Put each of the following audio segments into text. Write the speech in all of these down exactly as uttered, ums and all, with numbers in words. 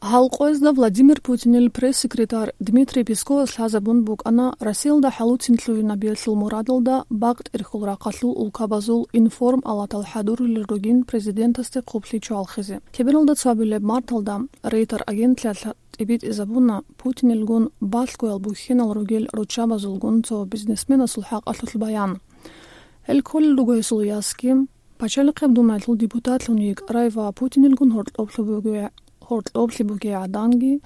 Гьал къоязда Владимир Путинил пресс-секретарь Дмитрий Песковас лъазабун букӀана Россиялда хӀалуцин лъугьинабиялъул мурадалда бакъ-тӀерхьул рахъалъул улкабазул информ-алатал хӀадурулел ругин президентасде хъублъи чӀвалхизе. Лъебералда цоабилеб марталда Рейтер агентлъиялъ тӀибитӀизабуна Путинилгун балъгоял бухьинал ругел руччабазулгун цо бизнесменасул хӀакъалъулъ баян. Гьел кколел руго гьесул ясги, Пачалихъеб Думаялъул депутатлъун йикӀарай ва Путинилгун гьоркьоблъи бугей-, гьоркьоблъи бугей гӀаданги,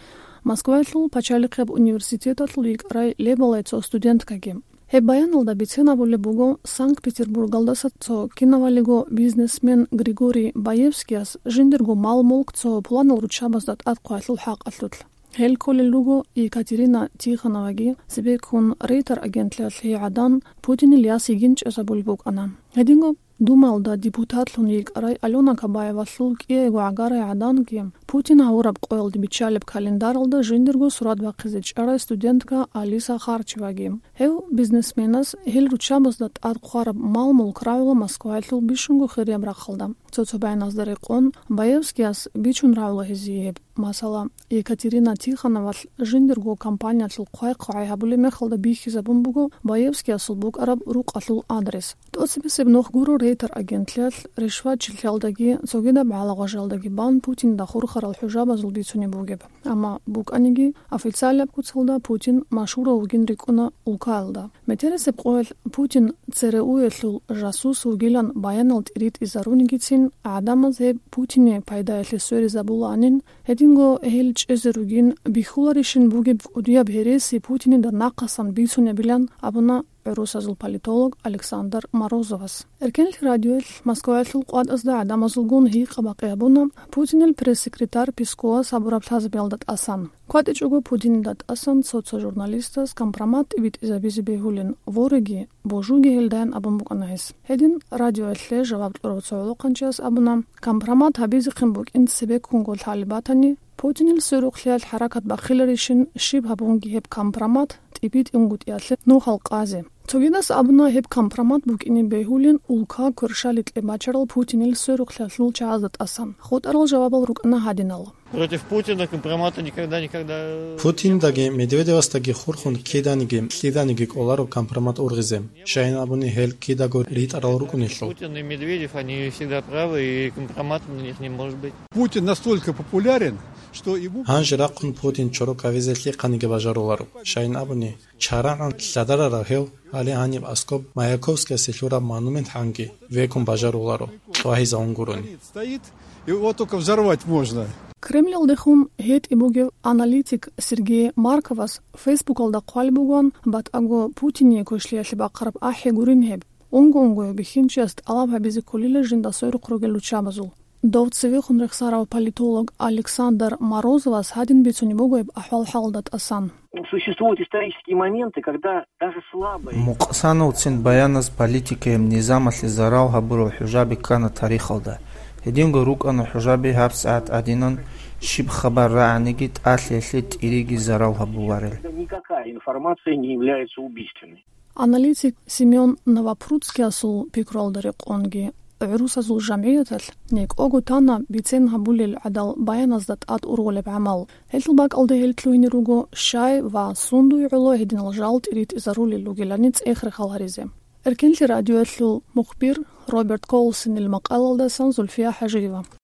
Москваялъул пачалихъеб университеталъул йикӀарай лебалай цо студенткаги. Гьеб баяналда бицен абулеб буго Санкт-Петербургалдаса цо кинавалиго бизнесмен Григорий Баевскияс жиндирго мал-мулк цо пуланал руччабазда тӀад хъвалъул хӀакъалъулъ. Гьел кколел руго Екатерина Тихоноваги, цебеккун Рейтер агентлъиялъ гьей гӀадан Путинил яс йигин чӀезабулеб букӀана. Гьединго Думаялда депутатлъун йикӀарай Алёна Кабаевалъул кӀиего гӀагарай гӀаданги, Путин гьавураб къоялде биччалеб календаралда жиндирго сурат бахъизе чӀарай студентка Алиса Харчеваги. Гьев бизнесменас гьел руччабазда тӀад хъвараб мал-мулк рагӀула Москваялъул бищунго хирияб рахъалда. Цо-цо баяназда рекъон, Баевскияс бичун рагӀула гьезие гьеб. Масала, Екатерина Тихоновалъ жиндирго компаниялъул хъвай-хъвай гьабулеб мехалда бихьизабун буго Баевскиясул букӀараб рукъалъул адрес. ТӀоцебесеб нух гуро Рейтер агентлъиялъ ришватчилъиялдаги цогидаб гӀалагъважалдаги бан Путинда хурхарал хӀужабазул бицунеб бугеб. Амма букӀаниги, официалаб куцалда Путин машгьурав вугин рикӀкӀуна улкаялда. Метерисеб къоялъ Путин ЦРУ-ялъул жасус вугилан баянал тӀиритӀизарунигицин, гӀадамаз гьеб Путине пайдаялъе сверизабулаанин, гьединго гьел чӀезе ругин бихьуларищин бугеб кӀудияб гьереси Путинида нахъасан бицунебилан абуна гӀурусазул политолог Александр Морозовас. Эркенлъи радиоялъ Москваялъул къватӀазда гӀадамазулгун гьикъа-бакъи гьабуна Путинил пресс-секретарь Песковас гьабураб лъазабиялда тӀасан. КватӀичӀого Путинида тӀасан цо-цо журналистас компромат тӀибитӀизабизе бегьулин, вореги, божуги гьелдаян абун букӀана гьес. Гьедин радиоялъе жаваб кьурав цо гӀолохъанчияс абуна, компромат гьабизехъин букӀин цебеккунго лъалеб батани, Путинил сверухълъиялъ хӀаракат бахъиларищин, щиб гьабунги гьеб компромат тӀибитӀунгутӀиялъе нухал къазе. Цогидас абуна гьеб компромат букӀине бегьулин улка кверщаликье бачарал Путинил сверухълъиялъул чагӀазда тӀасан. ХутӀарал жавабал рукӀана гьадинал. Против Путина компромата никогда, никогда. Путиндаги Медведевасдаги хурхун киданиги, киданиги кӀоларо компромат ургъизе. Щайин абуни гьел кидаго ритӀарал рукӀунелъул. Путин и Медведев, они всегда правы, и компромата на них не может быть. Путин настолько популярен, что ему... Гьанже рахъун Путин чорок гьавизе лъихъаниги бажаруларо. Щайин абуни, чарагӀан лъадарарав гьев гьале гьаниб аскӀоб Маяковскиясе лъураб монумент гьанги векун бажаруларо, кьвагьизавун гурони. Стоит, его только взорвать можно. Кремльалдехун гьетӀи бугев аналитик Сергей Марковас Фейсбукалда хъвалеб бугоан, батӀаго Путине квешлъиялъе бахъараб ахӀи гурин гьеб. Унго-унгояв бихьинчияс тӀалаб гьабизе кколила жинда сверухъ ругел руччабазул. Дов цевехун рехсарав политолог Александр Морозовас гьадин бицунеб буго гьеб ахӀвал-хӀалда тӀасан. Существуют исторические моменты, когда даже слабые... Мукъсановцин баяназ политикаяб низамалъе зарал гьабурал хӀужаби ккана тарихалда. Гьединго рукӀана хӀужаби гьабсагӀат гӀадинан, щиб хабар рагӀаниги тӀалъиялъе тӀириги зарал гьабуларел. Никакая информация не является убийственной. Аналитик Семён Новопрудскиясул пикруялда рекъонги, гӀурусазул жамгӀияталъ некӀого тана бицен гьабулел гӀадал баяназда тӀад ургъулеб гӀамал. Гьелъул бакӀалда гьел лъугьине руго щай ва сундуй гӀоло гьединал жал тӀиритӀизарулел ругелани цӀех-рехал гьаризе. Эркенлъи радиоялъул мухбир Роберт Колсонил макъалалдасан Зульфия ХӀажиева.